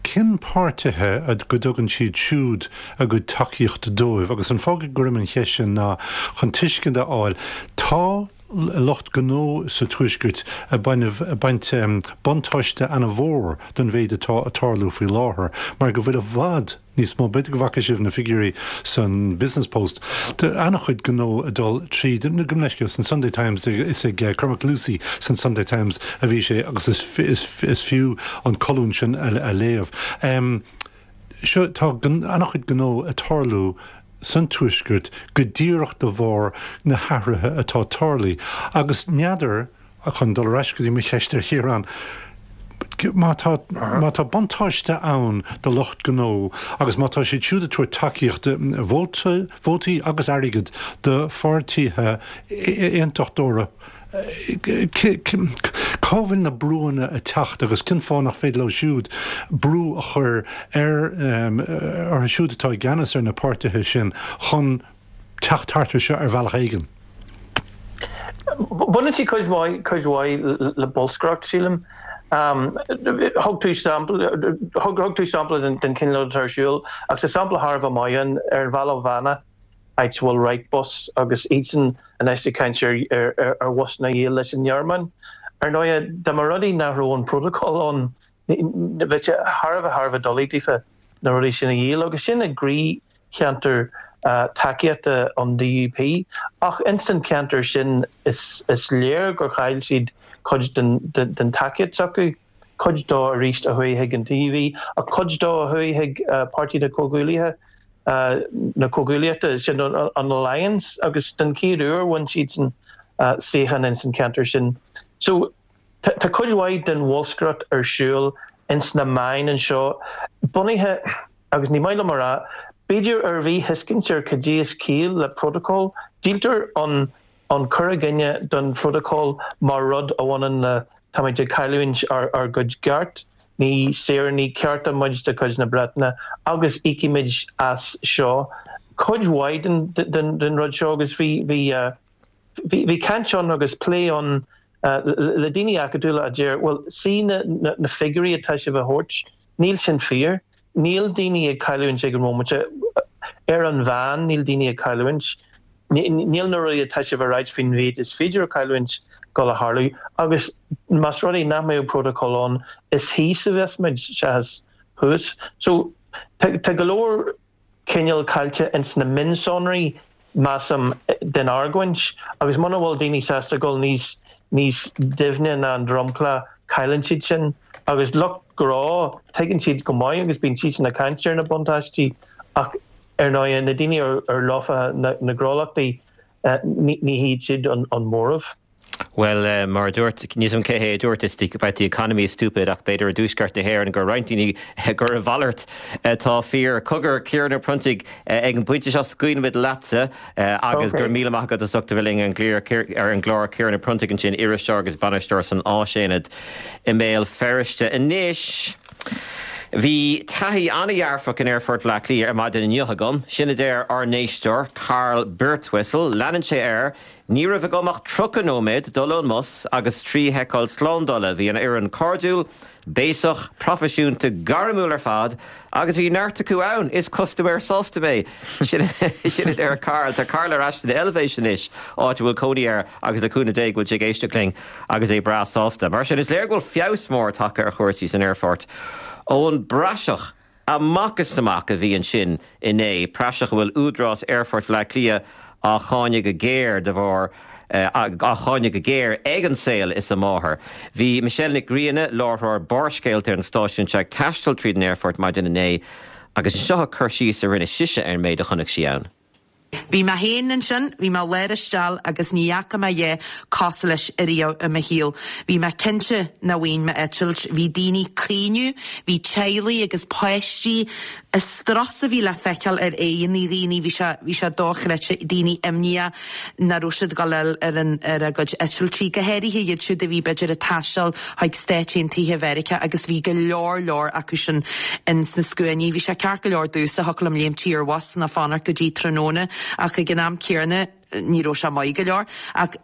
cén páirtithe go dtugann siad siúd a gcuid tacaíochta dóibh? Agus an fáth go gcuirim an cheist sin ná chun tuiscint a fháil, tá lucht gnó sa Tuaisceart ag baint buntáiste ana-mhór den mhéid atá ag tarlú faoi láthair mar go bhfuil i bhfad níos mó, b'fhéidir go bhfaca sibh na figiúirí san Business Post, tá an-chuid gnó ag dul tríd, gabh mo leithscéal, san Sunday Times, is ag Cormac Lucey san Sunday Times a bhí sé agus is fiú an colún sin a léamh. Seo, tá an-chuid gnó ag tarlú san Tuaisceart go díreach de bharr na hathruithe atá tarlaithe agus n'fheadar, chun dul ar ais go dtí mo cheist ar Chiarán, má tá, má tá buntáiste ann do lucht gnó agus má tá siad siúd ag tabhairt tacaíochta, vóta, vótaí agus airgead do pháirtithe aontachtóra, cá bhfuil na brúanna ag teacht agus cén fáth nach féidir leo siúd brú a chur ar, orthu siúd atá i gceannas ar na páirtithe sin chun teacht thart ar seo ar bhealach éigin? Baineann sé cuid mhaith, cuid mhaith le bolscaireacht, sílim. Thug tú sampla, thug, thug tú sampla den, den chineál rud atá ar siúl, ach tá sampla thar a bheith maith ann ar an bhealach Bheanna, áit a bhfuil Wrightbus agus iadsan anois ag caint ar, ar, ar bhusanna a dhíol leis an nGearmáin. Ar ndóigh, dá mba rud é nach raibh an protocol ann, bheadh sé thar a bheith, thar a bheith doiligh daofa na rudaí sin a dhíol agus sin i gcroícheantar tacaíochta an DUP. Ach ins an cheantar sin is léir gur chaill siad cuid den tacaíocht s'acu, cuid dó arís a chuaigh chuig an TUV ach cuid dó a chuaigh chuig Páirtí na Comhghuaillithe, na Comhghuaillíochta, sin an Alliance agus den chéad uair bhain siadsan suíochán ins an cheantar sin. So tá cuid mhaith den bholscaireacht ar siúl ins na meáin anseo bunaithe, agus ní maith liom a rá, b'fhéidir ar mhíthuiscint ar cad é is ciall le protocol. Díoltar an an cur i gcoinne don phrotocol mar rud a bhaineann le táimid ag cailliúint ár ár gcuid gceart, ní saoránaigh cearta muid de chuid na Breataine agus íocfaimid as seo. Cuid mhaith den den den rud seo agus bhí bhí Bhí caint ann agus plé ann le daoine acadúla a deir, bhuel, see na na figiúirí atá sibh a thabhairt, níl sin fíor. Níl daoine ag cailliúint ag an bhomaite. Ar an mheán, níl daoine ag cailliúint. Níl na rudaí atá sibh a ráit faoin mhéid is féidir a chailliúint dul a tharlú. Agus más rud é nach mbeadh protocol ann, is thíos a bheas muid seachas thuas. So, tá go leor cineál caillte ins na mionsonraí, measaim, den argóint, agus muna bhfuil daoine sásta dul níos níos doimhne ná an dromchla, cailleann siad sin. Agus lucht gnó, tuigeann siad go maith agus bíonn siadsan ag caint ar na buntáistí, ach ar ndóigh, na daoine ar ar leofa na na gnólachtaí, Ní hiad siad an móramh. Well, mar a dúirt, níl 's agam cé hé a dúirt, it's about the economy is stupid ach b'fhéidir i dtuaisceart na hÉireann gur roinnt daoine gur a mhalairt atá fíor. Cogar, Ciarán Ó Pronntaigh, ag an bpointe seo scaoilfimid leatsa agus go raibh míle maith agat as ucht a bheith linn ar an gclár. Ciarán Ó Pronntaigh ansin, iriseoir agus bainisteoir san Áisaonad i mBéal Feirste. Anois, bhí taithí an-dhearfach in Aerfort Bhaile Átha Cliath ar maidin inniu agam. Sin a deir ár n-éisteoir, Carl Birtwistle. Leanann sé air, Ní raibh agam ach tríocha nóiméad dul ón mbus agus trí sheiceáil slándála. Bhí an fhoireann cairdiúil, béasach, proifisiúnta, gairmiúil ar fad agus bhí neart acu ann. Is custaiméir sásta mé. Sin a deir Carl. Tá Carl ar ais san Eilvéis anois, áit a bhfuil cónaí air agus le cúnamh Dé go bhfuil sé ag éisteacht linn agus é breá sásta. Mar sin, is léir go bhfuil feabhas mór tagtha ar chúrsaí san aerfort ón bpraiseach amach is amach a bhí ansin inné, praiseach a bhfuil Údarás Aerfort Bhaile Átha Cliath á cháineadh go géar de bharr á cháineadh go géar ag an saol is a máthair. Bhí Michelle Nic Grianna, láithreoir Barrscéalta ar an stáisiún seo ag taisteal tríd an aerfort maidin inné agus seo a cur síos a rinne sise ar an méid a chonaic sí ann. Bhí mé féin ansin, bhí mé lár isteach agus ní fhaca mé a dhath cosúil leis ariamh i mo shaol. Bhí mé cinnte nach bhfaighinn m'eitilt. Bhí daoine ag caoineadh, bhí teaghlaigh agus páistí, an strus a bhí le feiceáil ar aghaidheanna dhaoine, bhí sé, bhí sé dochreidte, daoine imníoch nach raibh siad ag dul a fháil ar an, ar a gcuid eitiltí, go háirithe iad siúd a bhí b'fhéidir ag taisteal chuig Stáit Aontaithe Mheiriceá agus bhí go leor leor acu sin in sna scuainí. Bhí sé ceart go leor domhsa, thiocfadh liom léimtí ar bhus ná fanacht go dtí tráthnóna ach ag an am céanna ní raibh sé maith go leor. Ach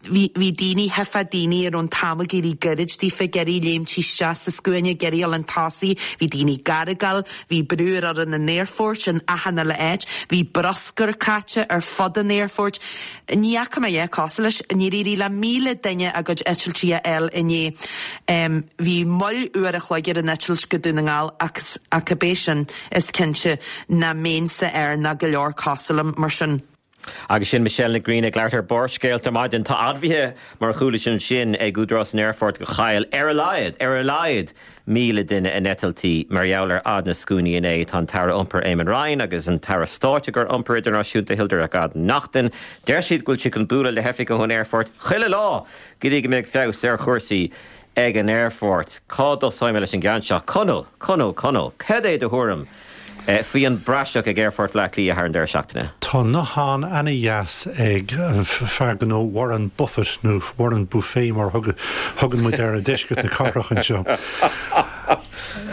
bhí, bhí daoine, thuigfeá daoine a raibh an t-am ag éirí gairid daofa, ag iarraidh léimtí isteach sa scuaine, ag iarraidh a dhul chun tosaigh, bhí daoine ag argáil, bhí brú ar fhoireann an aerfoirt in achan uile áit, bhí bruscar caite ar fud an aerfoirt. Ní fhaca mé a dhath cosúil leis. Níor éirigh le míle duine a gcuid eitiltí a fháil inné. Bhí moill uair a chloig ar an eitilt go Dún na nGall ach, ach cibé sin, is cinnte nach mbeinnse air ná go leor cosúil liom, mar sin. Agus sin Michelle Nic Grianna ag labhairt ar Barrscéalta ar maidin. Tá admhaithe, mar a chuala sibh ansin, ag Údarás an Aerfoirt gur chaill ar a laghad, ar a laghad, míle duine a n-eitiltí mar gheall ar fhad na scuainí inné. Tá an tAire Iompair Eamon Ryan agus an tAire Stáit i gcomhair Iompar Idirnáisiúnta Hildegarde Naughton, deir siad go bhfuil siad chun bualadh le hoifigigh ón aerfort chuile lá go dtí go mbeidh feabhas ar chúrsaí ag an aerfort. Cá dtosóidh mé leis an gceann seo? Conall! Conall! Conall! Cad é do thuairim faoi an bpraiseach ag Aerfort Bhaile Átha Cliath thar an deireadh seachtaine? Tá nathán ana-dheas ag an fear gnó Warren Buffett, nó Warren Buffet mar a thugann muid air i deisceart na cathrach anseo.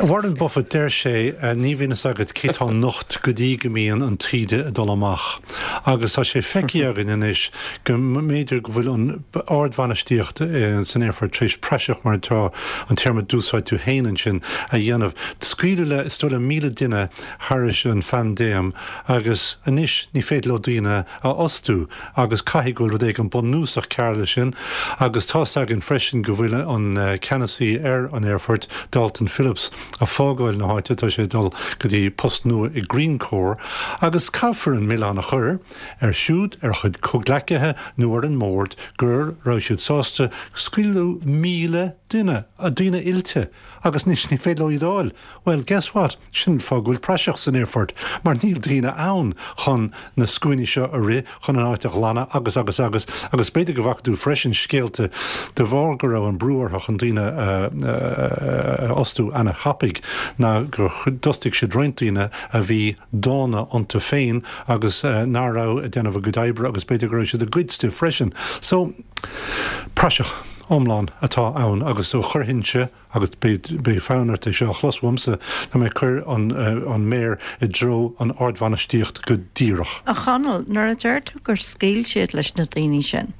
Warren Buffett, deir sé, ní bhíonn fhios agat cé tá nocht go dtí go mbíonn an taoide ag dul amach. Agus tá sé feicthe againn anois go mb'fhéidir go bhfuil an ardbhainistíocht san aerfort tar éis praiseach, mar atá an téarma a d'úsáid tú féin ansin, a dhéanamh. Scaoileadh le, is dóigh liom, míle duine thairis an phaindéim agus anois ní féidir leo daoine a fhostú agus caithfidh go bhfuil rud éigin bunúsach cearr leis sin. Agus tá's againn freisin go bhfuil an ceannasaí ar an aerfort, Dalton Phillips, ag fágáil na háite, tá sé ag dul go dtí post nua i Greencore agus caithfear an milleán a chur air siúd, ar a chuid comhghleacaithe nó ar an mbord go raibh siad sásta scaoileadh míle duine, daoine oilte, agus anois ní féidir leo iad a fháil. Bhuel, guess what? Sin an fáth go bhfuil praiseach san aerfort, mar níl daoine ann chun na scuainí seo a rith, chun an áit a ghlanadh agus, agus, agus. Agus b'fhéidir go bhfaca tú freisin scéalta de bharr go raibh an brú orthu chun daoine a fhostú ana-thapaidh, ná gur d'fhostaigh siad roinnt daoine a bhí dána iontu féin agus nach raibh ag déanamh a gcuid oibre agus b'fhéidir go raibh siad ag goid stuif freisin. So, praiseach iomlán atá ann agus so chuirfinnse, agus beidh fonn ort é seo a chlos uaimse, tá mé ag cur an an méar i dtreo an ardbhainistíocht go díreach. A Chonaill, nuair a deir tú gur scaoil siad leis na daoine sin,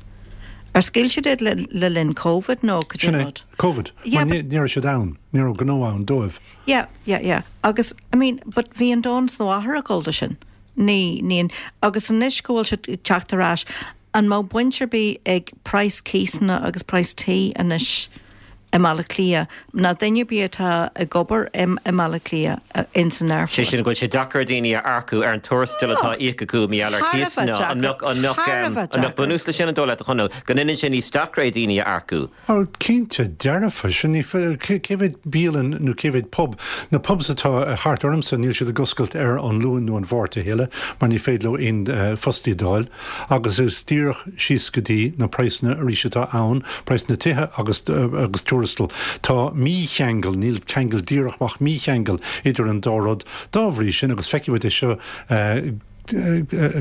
ar scaoil siad iad le le linn Covid nó cad é Sin é, rud? Covid, Yeah, mar but. ní raibh siad ann, ní raibh gnó ann dóibh. Yeah, yeah, yeah. Agus, I mean, but bhí an domhan is a mháthair ag dul do sin. Ní, ní, agus anois go bhfuil siad ag teacht ar ais, an mbeadh baint ar bith ag praghas cíosanna agus praghas tí anois i mBaile Átha Cliath ná duine ar bith atá ag obair i mBaile Átha Cliath ins an aerfort. Sé sin go bhfuil sé deacair daoine a earcú ar an tuarastal atá á íoc acu mar gheall ar chíosanna. An mbeadh bunús leis sin an dóigh leat, a Chonaill, go ndéanann sé níos deacra daoine a earcú? Ó cinnte dearfa, sin ní cé mhéad bialann nó cé mhéad pub, na pubs atá thart ormsa níl siad ag oscailt ar an Luan nó an Mháirt a thuilleadh mar ní féidir leo aon fostaí a d'fháil agus is díreach síos go dtí na praghsanna arís atá ann, praghas na tithe agus agus tuarastal. Tá mícheangal, níl ceangal díreach ach mícheangal idir an dá rud. Dá bhrí sin, agus feicimid é seo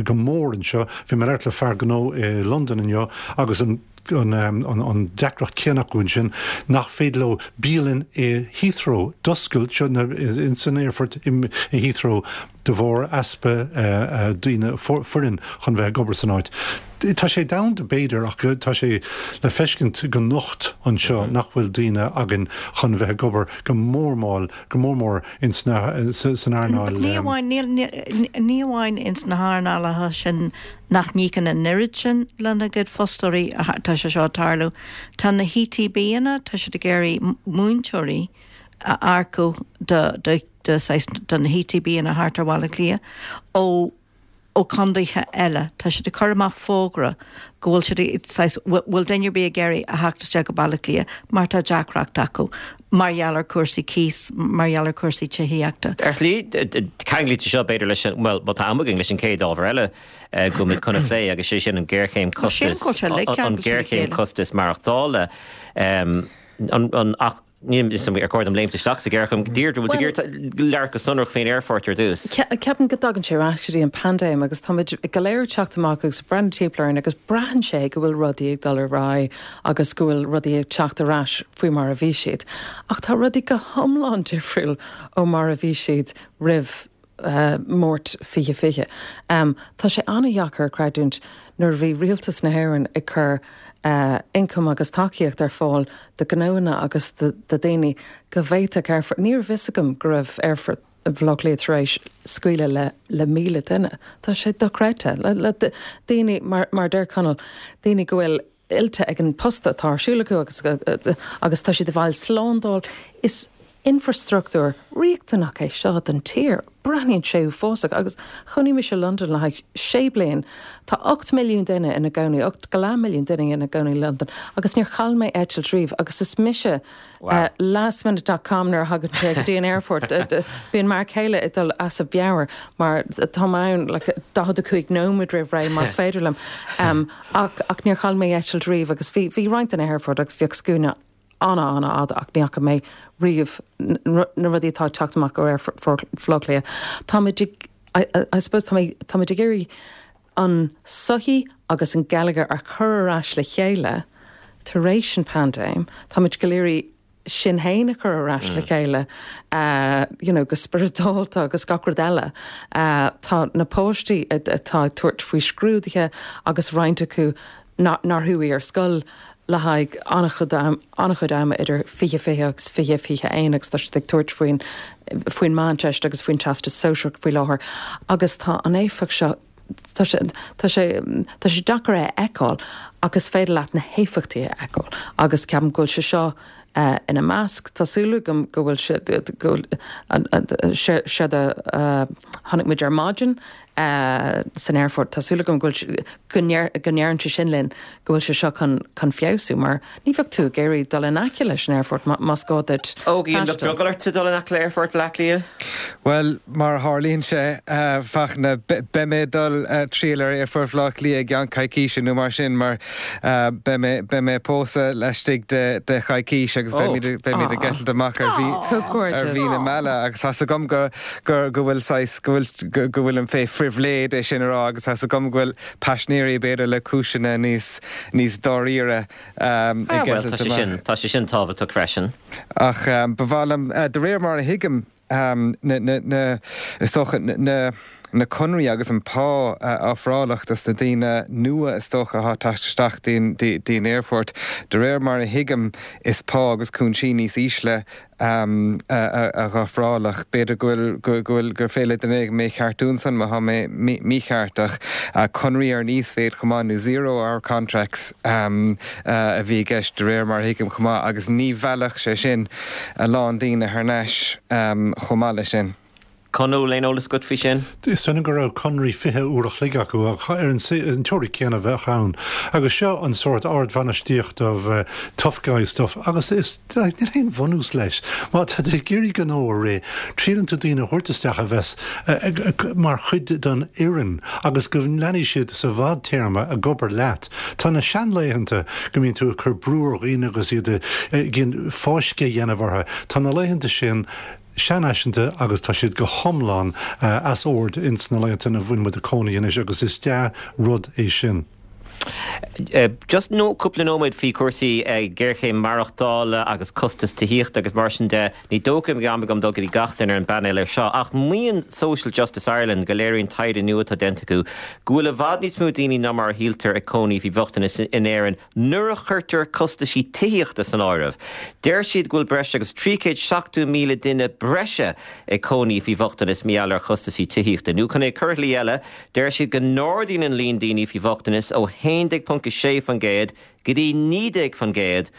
go mór anseo, bhí mé ag labhairt le fear gnó i Londain inniu agus an an deacracht céanna acu ansin nach féidir leo bialann i Heathrow d'oscailt, seo ins an aerfort i Heathrow de bharr easpa daoine, foireann chun bheith ag obair san áit. Tá sé domhanda b'fhéidir ach tá sé le feiscint go nocht anseo nach bhfuil daoine againn chun bheith ag obair go mór mall, go mór mór ins na, san earnáil. Ní amháin, ní amháin ins na hearnálacha sin nach n-íocann an oiread sin lena gcuid fostóirí tá sé seo ag tarlú. Tá na HETBanna, tá siad ag iarraidh múinteoirí a earcú do, do, do, do na HETBanna thart ar Bhaile Átha Cliath ó ó chontaetha eile. Tá siad ag cur amach fógra go bhfuil siad ag, saghas, bhfuil duine ar bith ag iarraidh a theacht isteach go Baile Átha Cliath mar tá deacracht acu mar gheall ar cúrsaí cíos, mar gheall ar cúrsaí tithíochta. Ar shlí, ceanglaítear seo b'fhéidir leis an, bhuel, má tá am againn, leis an chéad ábhar eile go bhfuil muid chun a phlé agus sé sin an ghéarchéim costas, an ghéarchéim costas maireachtála. An, ach níl a fhios agam ar chóir dom léimt isteach sa ghéarchéim. Deirdre, bhfuil tú ag iarraidh labhairt go sonrach faoin aerfort ar dtús? Ceapaim go dtagann sé ar ais go dtí an paindéim agus táimid go léir ag teacht amach agus ag breathnú timpeall orainn agus braitheann sé go bhfuil rudaí ag dul ar aghaidh agus go bhfuil rudaí ag teacht ar ais faoi mar a bhí siad. Ach tá rudaí go hiomlán difriúil ó mar a bhí siad roimh Márta fiche fiche. Tá sé an-dheacair a chreidiúint nuair a bhí rialtas na hÉireann ag cur ioncam agus tacaíocht ar fáil do ghnónna agus do dhaoine go bhféadfadh aerfort, ní raibh fhios agam go raibh aerfort Bhaile Átha Cliath tar éis scaoileadh le le míle duine. Tá sé dochreidte. Le daoine, mar a deir Conall, daoine go bhfuil oilte ag an post atá ar siúl acu agus agus tá siad ag fáil slándáil. Is infrastruchtúr riachtanach é seo don tír. Breathnaíonn sé uafásach agus chónaigh mise i Londain le haghaidh sé bliain. Tá ocht milliún duine ina gcónaí, ocht go leath milliún duine ina gcónaí i Londain agus níor chaill mé eitilt riamh agus is mise lastminute dot com nuair a thagann sé go dtí an aerfort. Bíonn m'fhear céile ag dul as a mheabhair mar tá mé ann like daichead a cúig nóiméad roimh ré más féidir liom. Ach ach níor chaill mé eitilt riamh agus bhí bhí roinnt de na haerfoirt agus bhíodh scuaine ana-ana-fhada ach ní fhaca mé riamh na rudaí atá ag teacht amach ó Aerfort Bhaile Átha Cliath. Táimid ag, I suppose, táimid ag iarraidh an sochaí agus an geilleagar a chur ar ais le chéile tar éis an paindéim. Táimid go léir iarraidh sinn féin a chur ar ais le chéile you know, go spioradálta agus gach rud eile. Tá na páistí atá ag tabhairt faoi scrúduithe agus roinnt acu nár chuaigh ar scoil le haghaidh an-chuid ama idir fiche fiche agus fiche fiche aon agus tá siad ag tabhairt faoin faoin Meánteist agus faoin Teastas Sóisearach faoi láthair agus tá an éifeacht seo tá sé tá sé tá sé deacair é a fheiceáil ach is féidir leat na héifeachtaí a fheiceáil agus ceapaim go bhfuil sé seo ina measc. Tá súil agam go bhfuil sé go bhfuil séard a chonaic muid ar maidin san aerfort, tá súil agam go bhfuil go ndeireann sé sin linn go bhfuil sé seo chun chun feabhsú mar ní bheadh tú ag iarraidh dul in aice leis an aerfort más gá duit Ógie, an mbeadh drogall ort dul in aice le aerfort Bhaile Átha Cliath? Bhuel, mar a tharlaíonn sé, a Fhachtna, beidh mé ag dul triall ar Aerfort Bhaile Átha Cliath i gceann coicíse nó mar sin mar beidh mé beidh mé ag pósadh laistigh de de choicís agus beimid beimid ag eitilt amach ar mhí ar mhí na meala agus tá's agam go go go bhfuil saghas go bhfuil go bhfuilim fé phribhléid é sin a rá agus tá's agam go bhfuil paisnéirí b'fhéidir le cúiseanna níos níos dáiríre ag Ah bhuel eitilt tá sé amach. sin tá sé sin tábhachtach freisin. Ach ba mhaith liom de réir mar a thuigim na na na is dócha na na conraí agus an pá ofrálach dos na daoine nua is dócha atá ag teacht isteach dtí an aerfort. De réir mar a thuigim is pá agus cúinsí níos ísle a dh'ofrálach. B'fhéidir go bhfuil, go bhfuil, gur féidir le duine éigin mé a cheartú ansan má tá mé mícheart ach conraí ar an íosmhéid chomh maith nó zero hour contracts a bhí i gceist de réir mar a thuigim chomh maith agus ní mheallfadh sé sin a lán daoine thar n-ais chomh maith leis sin. Conall, aon eolas agat faoi sin? Is dóigh liom go raibh conraí fiche uair a chloig acu ach ar an teoiric céanna a bheadh ann. Agus seo an sórt ardbhainistíocht of tough guy stuff agus is níl aon bhunús leis. Má tá tú ag iarraidh gnó a rith, triaileann tú daoine a thabhairt isteach a bheas mar chuid den fhoireann agus go leanfaidh siad sa bhfadtéarma ag obair leat. Tá na seanlaethanta go mbíonn tú ag cur brú ar dhaoine agus iad ag fáisceadh a dhéanamh orthu, tá na laethanta sin seanfhaiseanta agus tá siad go hiomlán as ord ins na laethanta ina bhfuil muid ag cónaí anois agus is dea-rud é sin. Just nó cúpla nóiméad faoi chúrsaí géarchéim maireachtála agus costas tithíochta agus mar sin de, ní dócha go mbeidh am agam dul go dtí gach duine ar an bpainéal air seo, ach maíonn Social Justice Ireland go léiríonn taighde nua atá déanta acu go bhfuil i bhfad níos mó daoine ná mar a shíltear ag cónaí faoi bhochtanas in Éirinn nuair a chuirtear costaisí tithíochta san áireamh. Deir siad go bhfuil breis agus trí chéad seachtó míle duine breise ag cónaí faoi bhochtanas mar gheall ar chostaisí tithíochta. Nó chun é a chur i shlí eile, deir siad go n-ardaíonn an líon daoine faoi bhochtanas ó haon déag ponc a sé faoin gcéad go dtí naoi déag faoin gcéad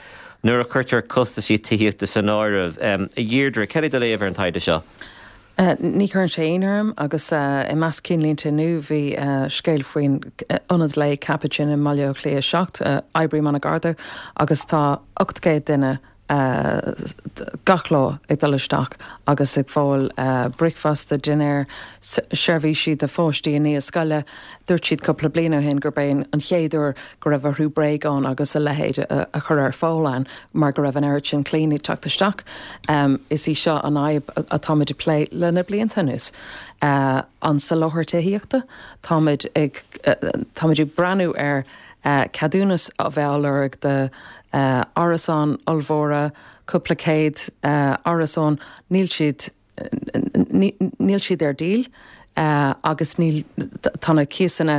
nuair a chuirtear costaisí tithíochta san áireamh. A Dheirdre, cad é do léamh ar an taighde seo? Ní chuireann sé ionadh orm agus i measc cinnlínte inniu bhí scéal faoin ionad lae Capuchin i mBaile Átha Cliath a seacht, oibrím an-ghar dó agus tá ocht gcéad duine gach lá ag dul isteach agus ag fáil bricfeasta, dinnéar, seirbhísí do pháistí i ndiaidh scoile. Dúirt siad cúpla bliain ó shin gurb é an chéad uair go raibh orthu bréagáin agus a leithéid a chur ar fáil ann mar go raibh an oiread sin clainne ag teacht isteach. Is í seo an fhadhb atáimid ag plé le na blianta anuas. An soláthar tithíochta, táimid ag táimid ag breathnú ar ceadúnas a bheith á lorg do árasáin ollmhóra, cúpla céad árasán, níl siad níl siad ar díol agus níl tá na cíosanna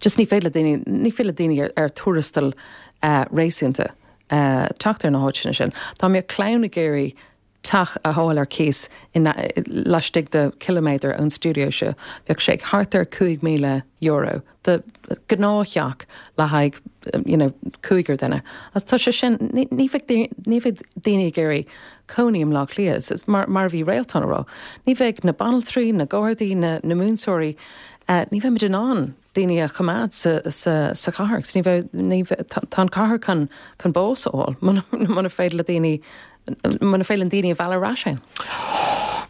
just ní féidir le daoine ní féidir le daoine ar tuarastal réasúnta teacht ar na háiteanna sin. Dá mbeadh clann ag iarraidh teach a fháil ar cíos laistigh de chiliméadar ón stiúideo seo, bheadh sé thart ar cúig míle euro do ghnáth-theach le haghaidh you know cúigear duine. Agus tá sé sin, ní bheidh ní bheidh daoine ag iarraidh cónaí i mBleá Cliath, is mar mar a bhí Réaltán a rá, ní bheidh na banaltraí, na gardaí, na na múinteoirí, ní bheimid in ann daoine a choimeád sa sa sa chathair agus ní bheidh ní bheidh tá an chathair chun chun bás a fháil muna muna féidir le daoine muna féidir linn daoine a mhealladh ar ais ann.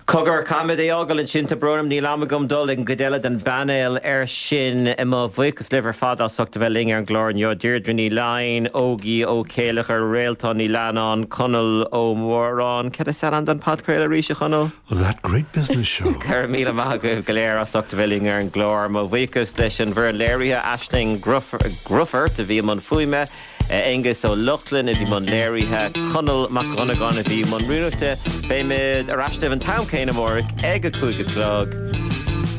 Cogar, caithfimid é fhágáil ansin, tá brón orm, níl am agam dul ag an gcuid eile den bpainéal air sin. Mo bhuíochas libh ar fad as ucht a bheith linn ar an gclár inniu, Deirdre Ní Laighin, Ógie Ó Céileachair, Réaltán Ní Leannáin, Conall Ó Móráin. Cad is ainm don podchraoladh arís, a Chonaill? That Great Business Show. Go raibh míle maith agaibh go léir as ucht a bheith linn ar an gclár. Mo bhuíochas leis an bhfoireann léirithe, Aisling Grufferth a bhí i mbun fuaime, Aengus Ó Lochlainn a bhí i mbun léirithe, Conall Mac Dhonnagáin a bhí i mbun rúnachta. Beimid ar ais libh an t-am céanna amárach ag a cúig a chlog.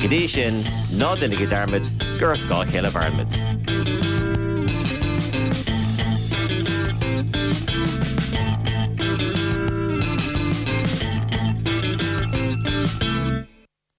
Go dtí sin, ná déanaigí dearmad gur ar scáth a chéile a mhairimid.